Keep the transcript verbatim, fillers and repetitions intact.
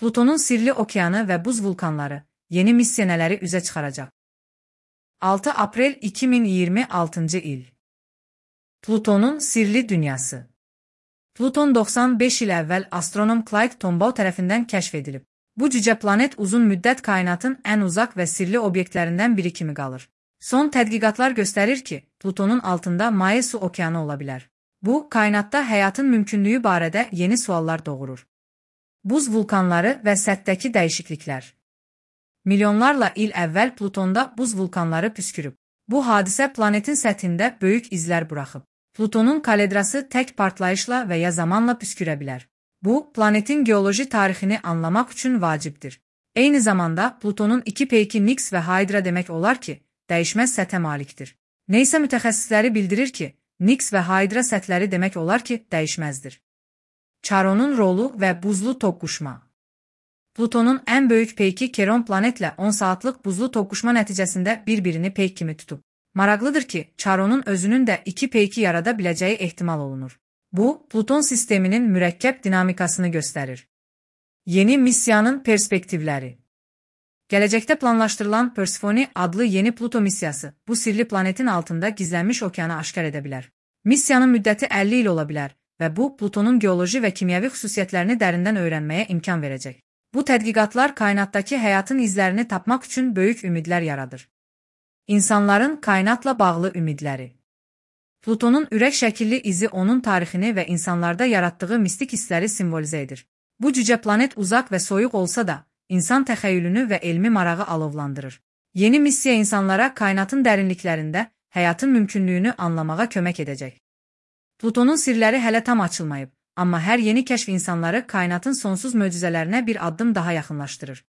Plutonun sirli okeanı ve buz vulkanları yeni missiyaneleri üze çıkaracak. altı April iki bin yirmi altıncı il. Plutonun sirli dünyası. Pluton doksan beş il əvvəl astronom Clyde Tombaugh tərəfindən kəşf edilib. Bu cüce planet uzun müddət kainatın ən uzaq və sirli obyektlərindən biri kimi qalır. Son tədqiqatlar göstərir ki, Plutonun altında maye su okeanı ola bilər. Bu, kainatda həyatın mümkünlüyü barədə yeni suallar doğurur. Buz vulkanları və səthdəki dəyişikliklər. Milyonlarla il əvvəl Plutonda buz vulkanları püskürüb. Bu hadisə planetin səthində böyük izlər buraxıb. Plutonun kaledrası tək partlayışla və ya zamanla püskürə bilər. Bu, planetin geoloji tarixini anlamaq üçün vacibdir. Eyni zamanda Plutonun iki peyki Nix və Hydra demək olar ki, dəyişməz səthə malikdir. Neysə mütəxəssisləri bildirir ki, Nix və Hydra səthləri demək olar ki, dəyişməzdir. Charonun rolu və buzlu toqquşma. Plutonun ən böyük peyki Keron planetlə on saatlıq buzlu toqquşma nəticəsində bir-birini peyk kimi tutub. Maraqlıdır ki, Charonun özünün də iki peyki yarada biləcəyi ehtimal olunur. Bu, Pluton sisteminin mürəkkəb dinamikasını göstərir. Yeni missiyanın perspektivləri. Gələcəkdə planlaşdırılan Persephone adlı yeni Pluto missiyası bu sirli planetin altında gizlənmiş okeanı aşkar edə bilər. Missiyanın müddəti əlli il ola bilər və bu, Plutonun geoloji və kimyəvi xüsusiyyətlərini dərindən öyrənməyə imkan verəcək. Bu tədqiqatlar kainatdakı həyatın izlərini tapmaq üçün böyük ümidlər yaradır. İnsanların kainatla bağlı ümidləri. Plutonun ürək şəkilli izi onun tarixini və insanlarda yaratdığı mistik hissləri simvolizə edir. Bu cüce planet uzaq və soyuq olsa da, insan təxəyyülünü və elmi marağı alovlandırır. Yeni missiya insanlara kainatın dərinliklərində həyatın mümkünlüyünü anlamağa kömək edəcək. Plutonun sirləri hələ tam açılmayıb, amma hər yeni kəşf insanları kainatın sonsuz möcüzələrinə bir addım daha yaxınlaşdırır.